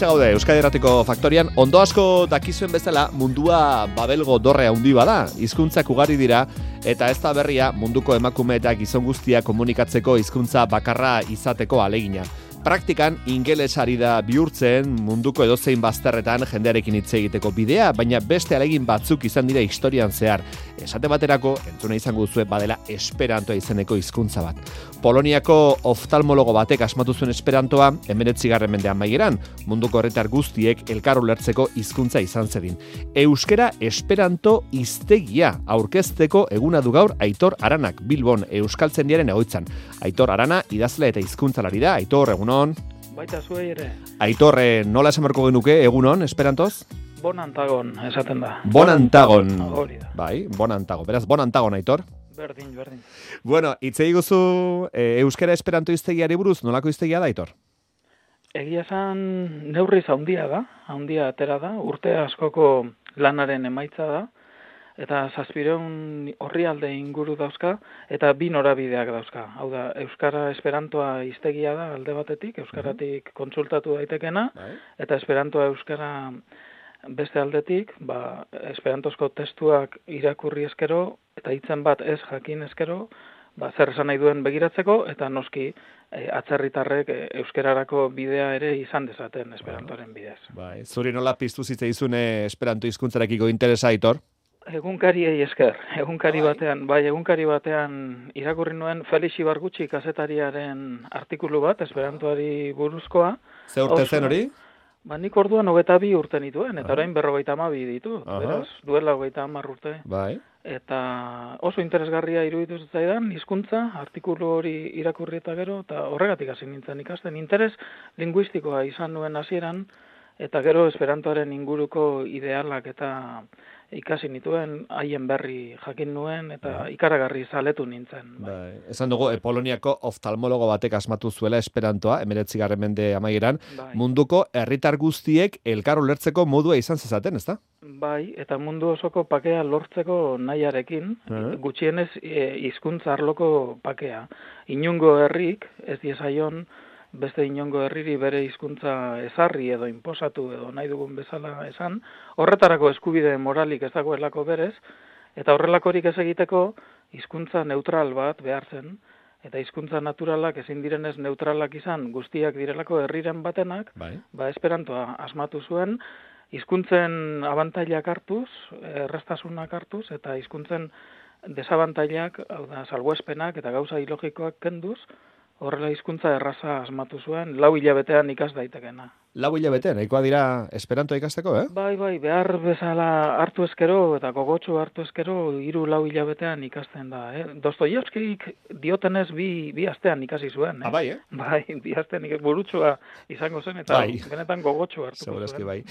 gaude Euskadi Irratiko Faktorian. Ondo asko dakizuen bezala mundua babelgo dorre handi bada, hizkuntzak ugari dira eta ez da berria munduko emakume eta gizon guztia komunikatzeko hizkuntza bakarra izateko alegina. Praktikan ingelesari da bihurtzen munduko edozein bazterretan jendearekin hitz egiteko bidea, baina beste alegin batzuk izan dira historian zehar. Esate baterako, entzuna izango duzue badela Esperantoa izeneko hizkuntza bat. Poloniako oftalmologo batek asmatu zuen Esperantoa 19. mendean amaieran, munduko herritar guztiek elkar ulertzeko hizkuntza izan zedin. Euskera Esperanto hiztegia aurkezteko eguna du gaur Aitor Aranak Bilbon Euskaltzaindiaren egoitzan. Aitor Arana idazle eta hizkuntzalari da. Aitor, egunon. Baita zuei ere. Aitor, nola esan beharko genuke egunon Esperantoz? Bonantagon esaten da. Bonantagon. Hori da. Bai, bonantagon. Beraz, bonantagon, Aitor. Berdin. Bueno, hitz eguzu euskera Esperanto hiztegiari buruz, nolako hiztegia da, Aitor? Egia esan neurriz handia atera da, urte askoko lanaren emaitza da, eta 700 orrialde inguru dauzka, eta 2 norabideak dauzka. Hau da, euskara Esperantoa hiztegia da alde batetik, euskaratik kontsultatu daitekena, eta Esperantoa euskara beste aldetik, esperantozko testuak irakurri eskero, eta hitzen bat ez jakin eskero, zer esan nahi duen begiratzeko, eta noski atzerritarrek euskerarako bidea ere izan dezaten Esperantoren bidez. Bai, zuri nola piztu zitzaizun Esperanto hizkuntzarekiko interesa, Aitor? Egunkariei esker, egunkari batean irakurri nuen Felix Ibargutxi kazetariaren artikulu bat, Esperantoari buruzkoa. Ze urte zen hori? Nik orduan 22 urte nituen, eta orain 52 ditu, beraz, duela 30 urte. Bai. Eta oso interesgarria iruditu zitzaidan, hizkuntza, artikulu hori irakurri eta gero, eta horregatik hasi nintzen ikasten. Interes linguistikoa izan nuen hasieran, eta gero Esperantoaren inguruko idealak eta ikasi nituen, haien berri jakin nuen, eta ikaragarri zaletu nintzen. Bai. Esan dugu, Poloniako oftalmologo batek asmatu zuela Esperantoa, 19. mende amaieran, munduko herritar guztiek elkar ulertzeko modua izan zezaten, ezta? Bai, eta mundu osoko pakea lortzeko nahiarekin, gutxienez hizkuntza arloko pakea. Inungo herrik, ez diezaion, beste inongo herriri bere hizkuntza ezarri edo inposatu edo nahi dugun bezala esan, horretarako eskubide moralik ez dagoelako berez, eta horrelakorik ez egiteko hizkuntza neutral bat behar zen, eta hizkuntza naturalak ezin direnez neutralak izan guztiak direlako herriren batenak, Esperantoa asmatu zuen, hizkuntzen abantailak hartuz, erraztasunak hartuz, eta hizkuntzen desabantailak, hau da, salbuespenak eta gauza ilogikoak kenduz, horrela hizkuntza erraza asmatu zuen, 4 hilabetean ikas daitekena. 4 hilabetean, nahikoa dira Esperantoa ikasteko, Bai, behar bezala hartu eskero eta gogotsu hartu eskero 3-4 hilabetean ikasten da. Dostoievskik diotenez bi astean ikasi zuen. Bai, Bai, 2 astean burutsua izango zen eta benetan gogotsu hartu zuen. Bai.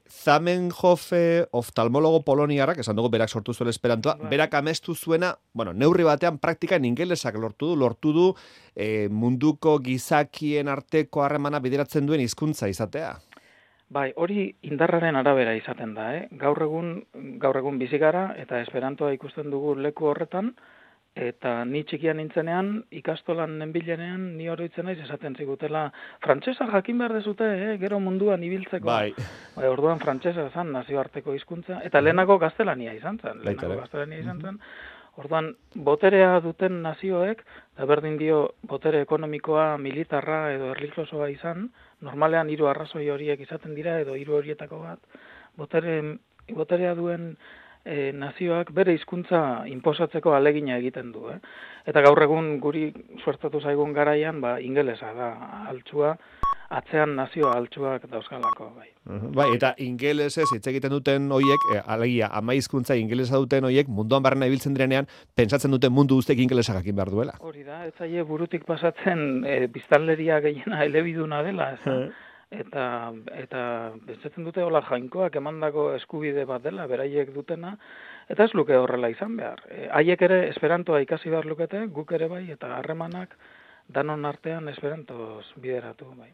Zamenhof oftalmologo poloniarrak, esan dugu berak sortu zuen Esperantoa, berak amestu zuena, neurri batean praktikan ingelesak lortu du munduko gizakien arteko harremana bideratzen duen hizkuntza izatea. Bai, hori indarraren arabera izaten da, Gaur egun bizi gara eta Esperantoa ikusten dugu leku horretan, eta ni txikian nintzenean, ikastolan nenbilenean, ni oroitzen naiz esaten zigutela, frantsesa jakin behar dezute, gero munduan ibiltzeko. Bai, orduan frantsesa zan nazioarteko hizkuntza, eta lehenako gaztelania izan zen. Orduan, boterea duten nazioek, eta berdin dio botere ekonomikoa, militarra edo erlijiosoa izan, normalean 3 arrazoi horiek izaten dira, edo 3 horietako bat, boterea duen nazioak bere hizkuntza inposatzeko alegina egiten du. Eta gaur egun guri suertatu zaigun garaian, ingelesa da altsua, atzean nazio altsuak dauzkalako, bai. Bai, eta ingelesez hitz egiten duten hoiek, alegia, ama hizkuntza ingelesa duten hoiek, munduan barrena ibiltzen direnean, pentsatzen duten mundu guztiek ingelesa jakin behar duela. Hori da, ez zaie burutik pasatzen biztanleria gehiena elebiduna dela, eta pentsatzen dute hola jainkoak emandako eskubide bat dela, beraiek dutena, eta ez luke horrela izan behar. Haiek ere Esperantoa ikasi behar lukete, guk ere bai, eta harremanak danon artean Esperantoz bideratu, bai.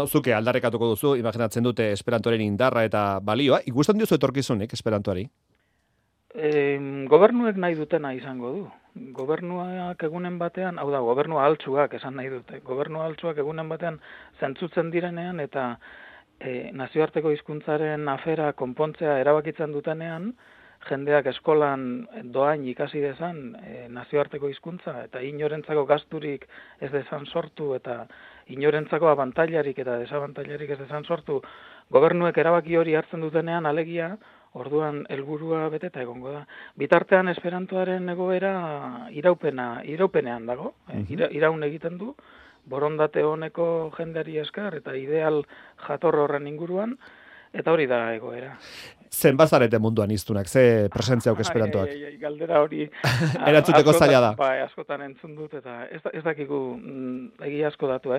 Zuke aldarrekatuko duzu, imaginatzen dute Esperantoren indarra eta balioa. Ikusten diozu etorkizunik Esperantoari? Gobernuek nahi dutena izango du. Gobernuak egunen batean, hau da, gobernua altsuak esan nahi dute. Gobernua altsuak egunen batean zentzutzen direnean eta nazioarteko hizkuntzaren afera konpontzea erabakitzen dutenean, jendeak eskolan doain ikasi dezan nazioarteko hizkuntza eta inorentzako gasturik ez dezan sortu eta inorentzako abantailarik eta desabantailarik ez dezan sortu, gobernuek erabaki hori hartzen dutenean alegia, orduan helburua beteta egongo da. Bitartean esperantoaren egoera iraupenean dago, iraun egiten du, borondate honeko jendeari esker eta ideal jator horren inguruan, eta hori da egoera. Zenbat zarete munduan iztunak, ze presentziauk esperantoak? Galdera hori erantzuteko zaila da. Bai, askotan entzun dut, eta ez dakigu egia asko datu,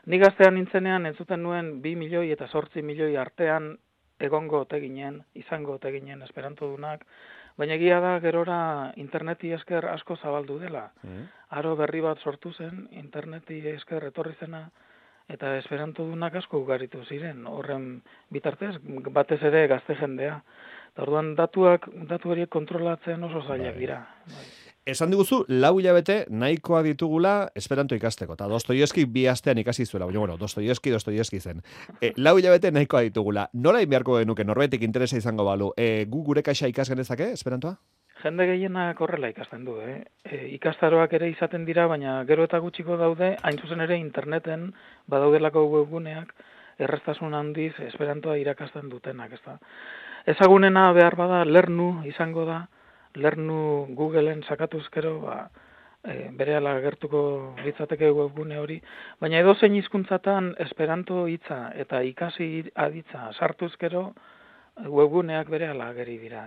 Ni gaztean nintzenean entzuten nuen 2 milioi eta 8 milioi artean egongo ote ginen, izango ote ginen esperantodunak, baina egia da gerora interneti esker asko zabaldu dela. Aro berri bat sortu zen, interneti esker etorri zena, eta esperantodunak asko ugaritu ziren, horren bitartez, batez ere gazte jendea. Eta orduan datu horiek kontrolatzen oso zailak dira. Esan diguzu, 4 hilabete nahikoa ditugula esperanto ikasteko. Eta Dostoievski 2 astean ikasi zuela. Bueno, Dostoievski zen. 4 hilabete nahikoa ditugula. Nola beharko genuke norbaitek interesa izango balu? Gu gure kaxa ikas genezake esperantoa? Jende gehienak horrela ikasten du, Ikastaroak ere izaten dira, baina gero eta gutxiko daude, hain zuzen ere interneten badaudelako webguneak erraztasun handiz esperantoa irakasten dutenak, ezta. Ezagunena behar bada Lernu izango da, Lernu Googleen sakatuzkero, berehala gertuko litzateke webgune hori, baina edozein hizkuntzatan esperanto hitza eta ikasi aditza sartuzkero webguneak berehala ageri dira.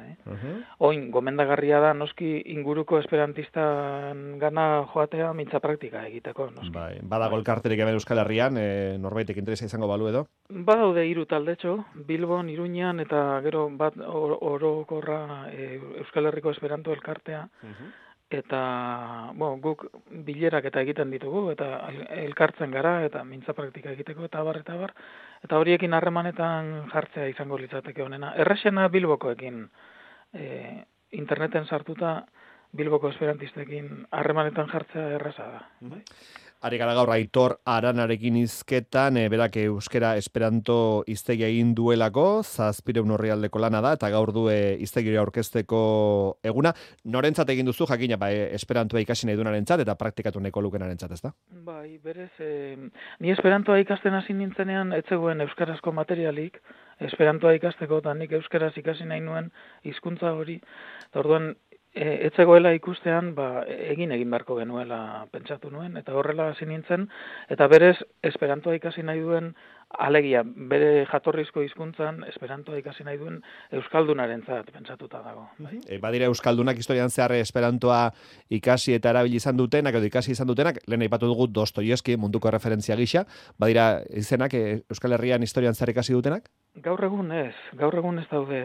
Oin, gomendagarria da, noski inguruko esperantistan gana joatea mintza praktika egiteko. Noski. Bai, badago elkarterik hemen Euskal Herrian, norbaitek interesa izango balu edo? Badaude 3 taldetxo, Bilbon, Iruñan, eta gero bat orokorra Euskal Herriko Esperanto elkartea. Eta, guk bilerak eta egiten ditugu, eta elkartzen gara, eta mintza praktika egiteko, eta bar. Eta horiekin harremanetan jartzea izango litzateke honena. Errexena Bilbokoekin, interneten sartuta Bilboko esperantistekin harremanetan jartzea erraza da. Ari gara gaur Aitor Aranarekin hizketan, berak euskera esperanto hiztegia egin duelako, 700 orrialdeko lana da, eta gaur du hiztegia aurkezteko eguna. Norentzat egin duzu, jakina, esperantoa ikasi nahi duenarentzat, eta praktikatu nahiko lukenarentzat, ez da? Bai, berez, ni esperantoa ikasten hasi nintzenean, ez zegoen euskarazko materialik, esperantoa ikasteko, eta nik euskaraz ikasi nahi nuen hizkuntza hori, eta orduan, ez zegoela ikustean, egin beharko genuela pentsatu nuen, eta horrela hasi nintzen, eta berez, esperantoa ikasi nahi duen, alegia, bere jatorrizko hizkuntzan esperantoa ikasi nahi duen euskaldunarentzat pentsatuta dago. Badira euskaldunak historian zehar esperantoa ikasi eta erabili izan dutenak, edo ikasi izan dutenak, lehen aipatu dugu Dostoievski munduko referentzia gisa, badira izenak Euskal Herrian historian zehar ikasi dutenak? Gaur egun ez daude,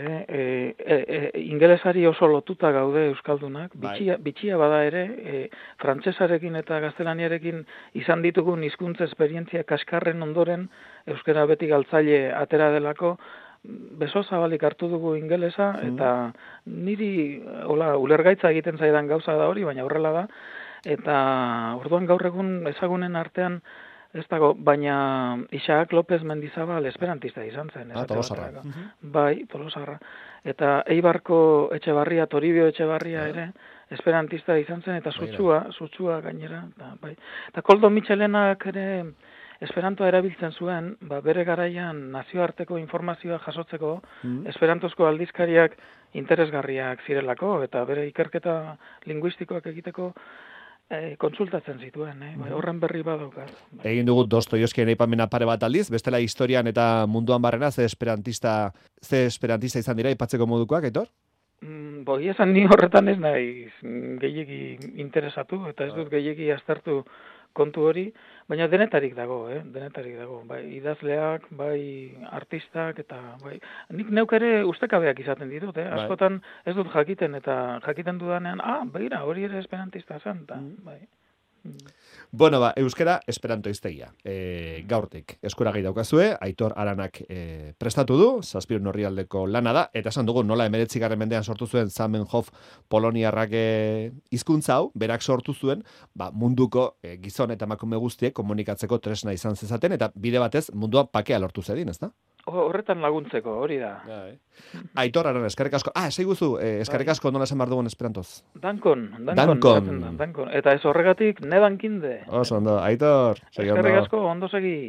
ingelesari oso lotuta gaude euskaldunak, bitxia bada ere, frantsesarekin eta gaztelaniarekin izan ditugun hizkuntza esperientzia kaskarren ondoren, euskara beti galtzaile atera delako, beso zabalik hartu dugu ingelesa, eta niri ulergaitza egiten zaidan gauza da hori, baina horrela da, eta orduan gaur egun ezagunen artean, ez dago, baina Isaac López Mendizabal esperantista izan zen. Tolosarra. Bai, Tolosarra. Eta Eibarko Etxebarria, Toribio Etxebarria ere, esperantista izan zen, eta sutsua gainera. Eta Koldo Michelenak ere esperantoa erabiltzen zuen, bere garaian nazioarteko informazioa jasotzeko, esperantozko aldizkariak interesgarriak zirelako, eta bere ikerketa linguistikoak egiteko kontsultatzen zituen, horren berri badaukat. Egin dugu Dostoievskien aipamena pare bat aldiz, bestela historian eta munduan barrena, ze esperantista izan dira aipatzeko modukoak, Aitor? Bogi esan ni horretan ez naiz gehiegi interesatu, eta ez dut gehiegi aztertu kontu hori, baina denetarik dago, bai idazleak, bai artistak, eta bai, nik neuk ere ustekabeak izaten ditut, askotan ez dut jakiten, eta jakiten dudanean, begira, hori ere esperantista zen, bai. Bueno, euskera esperanto hiztegia. Gaurtik eskuragai daukazue, Aitor Aranak prestatu du, 700 orrialdeko lana da, eta esan dugu nola 19. mendean sortu zuen Zamenhof poloniarrak hizkuntza hau, berak sortu zuen, munduko gizon eta emakume guztiek komunikatzeko tresna izan zezaten, eta bide batez munduan pakea lortu zedin, ezta? Horretan laguntzeko, hori da. Aitor, aran, eskerrik asko. Esaiguzu, eskerrik asko nola esan behar dugun esperantoz. Dankon. Dankon. Eta ez horregatik, nedankinde. Oso, ondo, Aitor. Eskerrik asko, ondo segi.